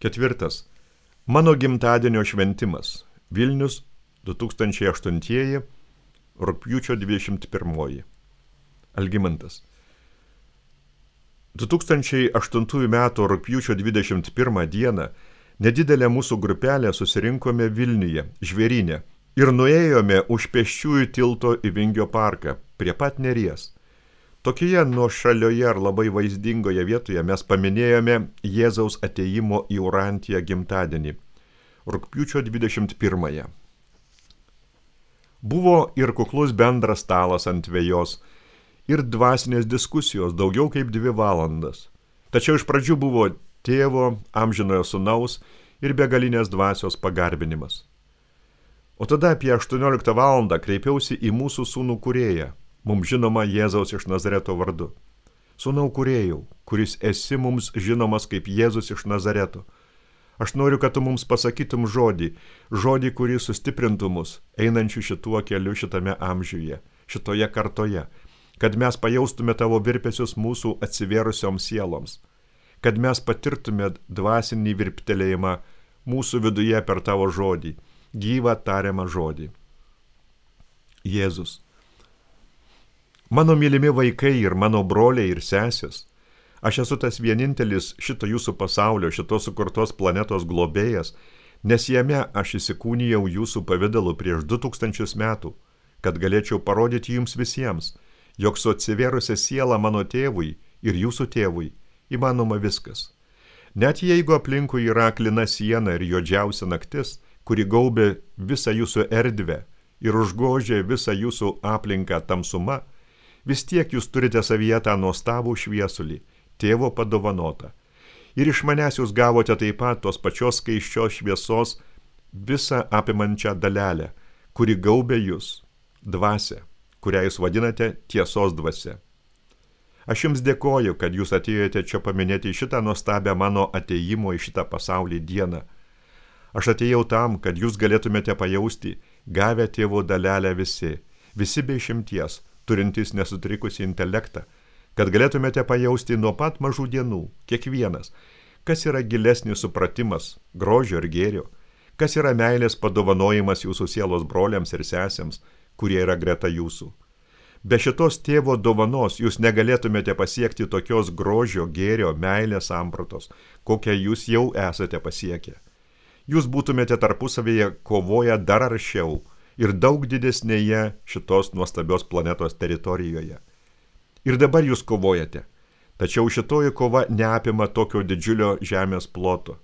4. Mano gimtadienio šventimas. Vilnius 2008 rugpjūčio 21. Algimantas. 2008 metų rugpjūčio 21 dieną nedidelė mūsų grupelė susirinkome Vilniuje, Žvėryne, ir nuėjome už pėsčiųjų tilto į Vingio parką, prie pat Neries. Tokioje nuošalioje ar labai vaizdingoje vietoje mes paminėjome Jėzaus atėjimo į Urantiją gimtadienį, rugpjūčio 21. Buvo ir kuklus bendras stalas ant vejos, ir dvasinės diskusijos daugiau kaip 2 valandas. Tačiau iš pradžių buvo tėvo, amžinojo sūnaus ir begalinės dvasios pagarbinimas. O tada apie 18 valandą kreipiausi į mūsų sūnų kūrėją, mums žinoma Jėzaus iš Nazareto vardu. Sūnau kūrėjau, kuris esi mums žinomas kaip Jėzus iš Nazareto. Aš noriu, kad tu mums pasakytum žodį, kuris sustiprintų mus, einančių šituo keliu šitame amžiuje, šitoje kartoje, kad mes pajaustume tavo virpesius mūsų atsivėrusioms sieloms, kad mes patirtume dvasinį virptelėjimą mūsų viduje per tavo žodį, gyvą tariamą žodį. Jėzus. Mano mylimi vaikai ir mano broliai ir sesės, aš esu tas vienintelis šito jūsų pasaulio, šitos sukurtos planetos globėjas, nes jame aš įsikūnijau jūsų pavidalu prieš 2000 metų, kad galėčiau parodyti jums visiems, jog su atsivėrusia siela mano tėvui ir jūsų tėvui įmanoma viskas. Net jeigu aplinkui yra aklina siena ir juodžiausia naktis, kuri gaubė visą jūsų erdvę ir užgožė visą jūsų aplinką tamsuma, vis tiek jūs turite savyje tą nuostabų šviesulį, tėvo padovanotą. Ir iš manęs jūs gavote taip pat tos pačios skaisčios šviesos visą apimančią dalelę, kuri gaubė jūs, dvasią, kurią jūs vadinate tiesos dvasia. Aš jums dėkoju, kad jūs atėjote čia paminėti šitą nuostabią mano atėjimo į šitą pasaulį dieną. Aš atėjau tam, kad jūs galėtumėte pajausti, gavę tėvo dalelę visi be išimties, turintys nesutrikusį intelektą, kad galėtumėte pajausti nuo pat mažų dienų, kiekvienas, kas yra gilesnis supratimas, grožio ir gėrio, kas yra meilės padovanojimas jūsų sielos broliams ir sesėms, kurie yra greta jūsų. Be šitos tėvo dovanos jūs negalėtumėte pasiekti tokios grožio, gėrio, meilės sampratos, kokią jūs jau esate pasiekę. Jūs būtumėte tarpusavėje kovoję dar aršiau ir daug didesnėje šitos nuostabios planetos teritorijoje. Ir dabar jūs kovojate, tačiau šitoji kova neapima tokio didžiulio žemės ploto.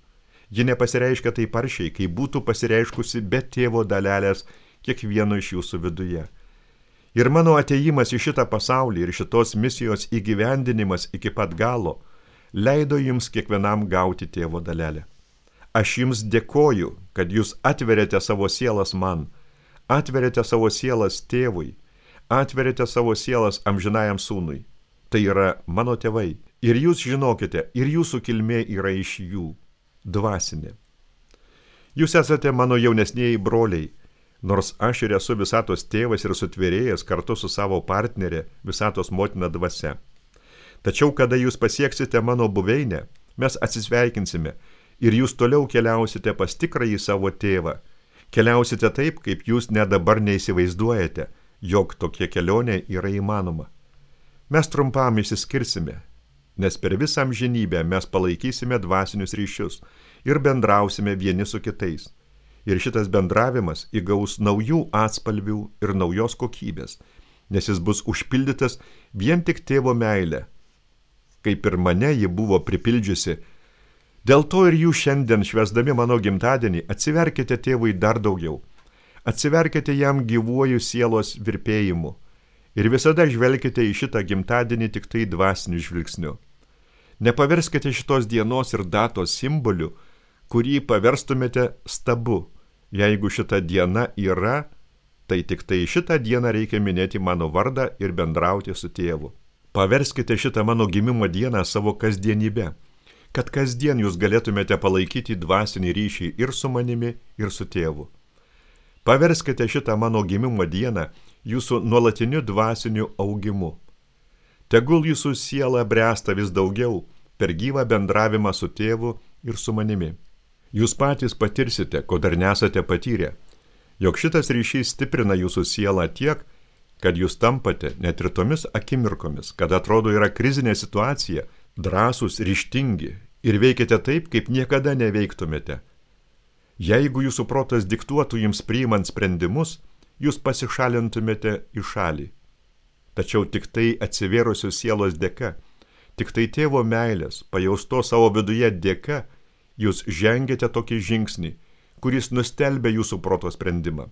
Ji nepasireiškia taip aršiai, kai būtų pasireiškusi be tėvo dalelės kiekvieno iš jūsų viduje. Ir mano atėjimas į šitą pasaulį ir šitos misijos įgyvendinimas iki pat galo leido jums kiekvienam gauti tėvo dalelę. Aš jums dėkoju, kad jūs atverėte savo sielas man, atverėte savo sielas tėvui, atverėte savo sielas amžinajam sūnui. Tai yra mano tėvai. Ir jūs žinokite, ir jūsų kilmė yra iš jų, dvasinė. Jūs esate mano jaunesnieji broliai, nors aš ir esu visatos tėvas ir sutvėrėjas kartu su savo partnerė, visatos motina dvasia. Tačiau, kada jūs pasieksite mano buveinę, mes atsisveikinsime ir jūs toliau keliausite pas tikrąjį savo tėvą. Keliausite taip, kaip jūs net dabar neįsivaizduojate, jog tokia kelionė yra įmanoma. Mes trumpam išsiskirsime, nes per visą amžinybę mes palaikysime dvasinius ryšius ir bendrausime vieni su kitais. Ir šitas bendravimas įgaus naujų atspalvių ir naujos kokybės, nes jis bus užpildytas vien tik tėvo meilę, kaip ir mane ji buvo pripildžiusi. Dėl to ir jūs šiandien, švęsdami mano gimtadienį, atsiverkite tėvui dar daugiau. Atsiverkite jam gyvuoju sielos virpėjimu ir visada žvelkite į šitą gimtadienį tik tai dvasiniu žvilgsniu. Nepaverskite šitos dienos ir datos simboliu, kurį paverstumėte stabu. Jeigu šita diena yra, tai tik tai šitą dieną reikia minėti mano vardą ir bendrauti su tėvu. Paverskite šitą mano gimimo dieną savo kasdienybę, kad kasdien jūs galėtumėte palaikyti dvasinį ryšį ir su manimi, ir su tėvu. Paverskite šitą mano gimimo dieną jūsų nuolatiniu dvasiniu augimu. Tegul jūsų siela bręsta vis daugiau per gyvą bendravimą su tėvu ir su manimi. Jūs patys patirsite, ko dar nesate patyrę, jog šitas ryšys stiprina jūsų sielą tiek, kad jūs tampate net ir tomis akimirkomis, kad atrodo yra krizinė situacija, drąsūs, ryžtingi ir veikiate taip, kaip niekada neveiktumėte. Jeigu jūsų protas diktuotų jums priimant sprendimus, jūs pasišalintumėte į šalį. Tačiau tik tai atsivėrusios sielos dėka, tik tai tėvo meilės, pajausto savo viduje dėka, jūs žengėte tokį žingsnį, kuris nustelbia jūsų proto sprendimą.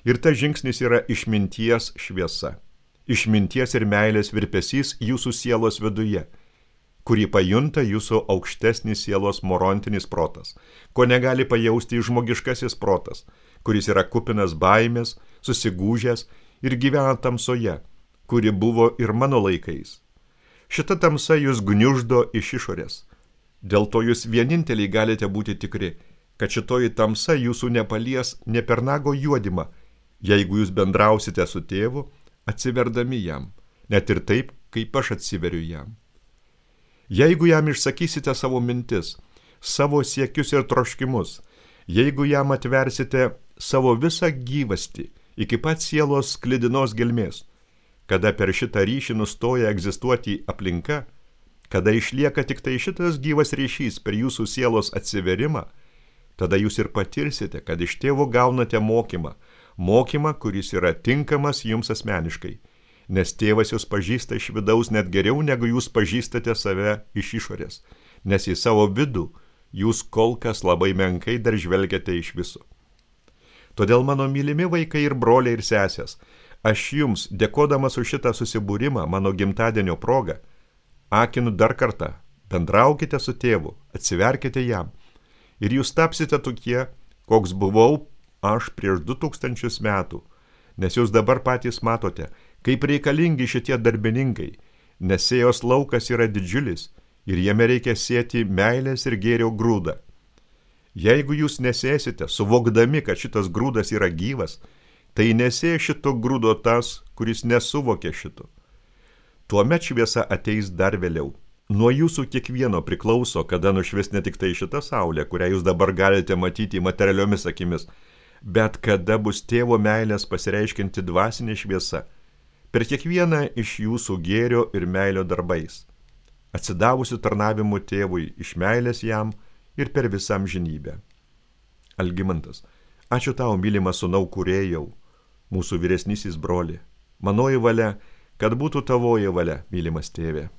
Ir tas žingsnis yra išminties šviesa, išminties ir meilės virpesys jūsų sielos viduje, kurį pajunta jūsų aukštesnis sielos morontinis protas, ko negali pajausti žmogiškasis protas, kuris yra kupinas baimės, susigūžęs ir gyvena tamsoje, kuri buvo ir mano laikais. Šita tamsa jūs gniuždo iš išorės. Dėl to jūs vieninteliai galite būti tikri, kad šitoji tamsa jūsų nepalies ne per nago juodimą, jeigu jūs bendrausite su tėvu, atsiverdami jam, net ir taip, kaip aš atsiveriu jam. Jeigu jam išsakysite savo mintis, savo siekius ir troškimus, jeigu jam atversite savo visą gyvastį iki pat sielos sklidinos gelmės, kada per šitą ryšį nustoja egzistuoti aplinka, kada išlieka tik tai šitas gyvas ryšys per jūsų sielos atsiverimą, tada jūs ir patirsite, kad iš tėvo gaunate mokymą, kuris yra tinkamas jums asmeniškai, nes tėvas jūs pažįsta iš vidaus net geriau, negu jūs pažįstate save iš išorės, nes į savo vidų jūs kol kas labai menkai dar žvelgiate iš viso. Todėl mano mylimi vaikai ir broliai ir sesės, aš jums, dėkodamas už šitą susibūrimą mano gimtadienio progą, akinu dar kartą, bendraukite su tėvu, atsiverkite jam, ir jūs tapsite tokie, koks buvau aš prieš 2000 metų, nes jūs dabar patys matote, kaip reikalingi šitie darbininkai, nes sėjos laukas yra didžiulis ir jame reikia sėti meilės ir gėrio grūdą. Jeigu jūs nesėsite, suvokdami, kad šitas grūdas yra gyvas, tai nesė šito grūdo tas, kuris nesuvokia šito. Tuomet šviesa ateis dar vėliau. Nuo jūsų kiekvieno priklauso, kada nušvis ne tik tai šita saulė, kurią jūs dabar galite matyti materialiomis akimis, bet kada bus tėvo meilės pasireiškinti dvasinė šviesa, per kiekvieną iš jūsų gėrio ir meilio darbais, atsidavusių tarnavimu tėvui iš meilės jam ir per visą amžinybę. Algimantas, ačiū tau, mylimas sūnau kūrėjau, mūsų vyresnysis broli, manoji valia, kad būtų tavoji valia, mylimas tėve.